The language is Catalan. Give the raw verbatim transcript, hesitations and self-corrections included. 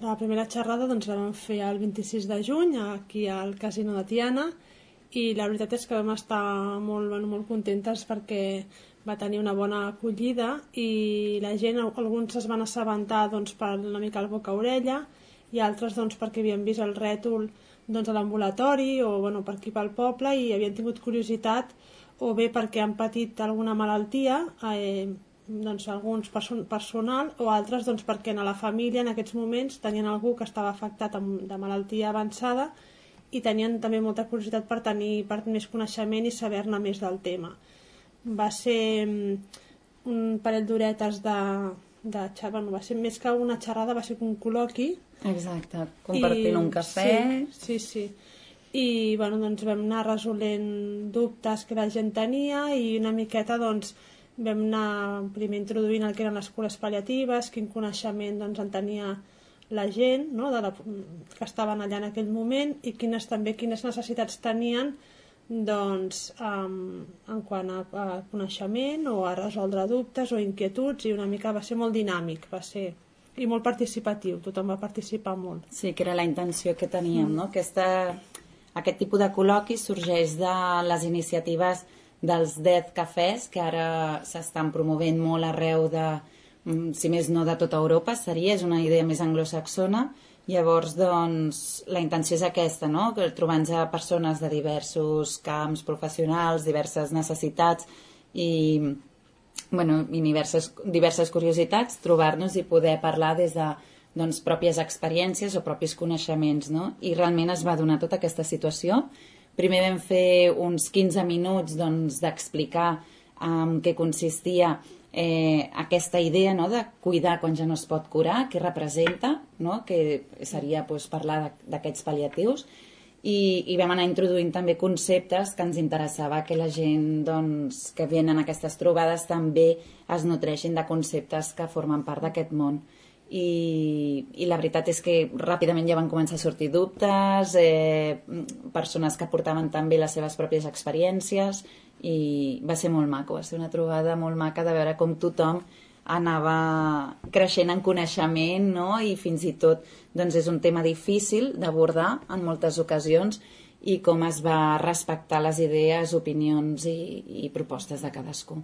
La primera xerrada doncs, la vam fer el vint-i-sis de juny aquí al Casino de Tiana i la veritat és que vam estar molt, bueno, molt contentes perquè va tenir una bona acollida i la gent, alguns es van assabentar doncs, per una mica el boca-orella i altres doncs, perquè havien vist el rètol doncs, a l'ambulatori o bueno, per aquí pel poble i havien tingut curiositat o bé perquè han patit alguna malaltia, eh, doncs alguns person personal o altres doncs, perquè a la família en aquests moments tenien algú que estava afectat amb, de malaltia avançada i tenien també molta curiositat per tenir per més coneixement i saber-ne més del tema. Va ser un parell d'horetes de, de xerrada, bueno, va ser més que una xerrada, va ser un col·loqui. Exacte, compartint I, un cafè. Sí, sí, sí. I bueno, doncs vam anar resolent dubtes que la gent tenia i una miqueta doncs vam anar primer introduint el que eren les cures pal·liatives, quin coneixement doncs, en tenia la gent, no? de la, que estaven allà en aquell moment i quines, també quines necessitats tenien doncs, um, en quant a, a coneixement o a resoldre dubtes o inquietuds i una mica va ser molt dinàmic, va ser i molt participatiu, tothom va participar molt. Sí, que era la intenció que teníem, mm. no? Aquesta, aquest tipus de col·loqui sorgeix de les iniciatives dels Death Cafès, que ara s'estan promovent molt arreu de, si més no de tota Europa, seria, és una idea més anglosaxona. Llavors, doncs, la intenció és aquesta, no? Trobant-se persones de diversos camps professionals, diverses necessitats i, bueno, i diverses, diverses curiositats, trobar-nos i poder parlar des de doncs, pròpies experiències o propis coneixements, no? I realment es va donar tota aquesta situació. Primer vam fer uns quinze minuts doncs, d'explicar en què consistia eh, aquesta idea, no, de cuidar quan ja no es pot curar, què representa, no, que seria doncs, parlar d'aquests pal·liatius. I, i vam anar introduint també conceptes que ens interessava que la gent doncs, que venen a aquestes trobades també es nutreixin de conceptes que formen part d'aquest món. I, i la veritat és que ràpidament ja van començar a sortir dubtes, eh, persones que portaven també les seves pròpies experiències i va ser molt maco, va ser una trobada molt maca de veure com tothom anava creixent en coneixement, no? I fins i tot doncs, és un tema difícil d'abordar en moltes ocasions i com es va respectar les idees, opinions i, i propostes de cadascú.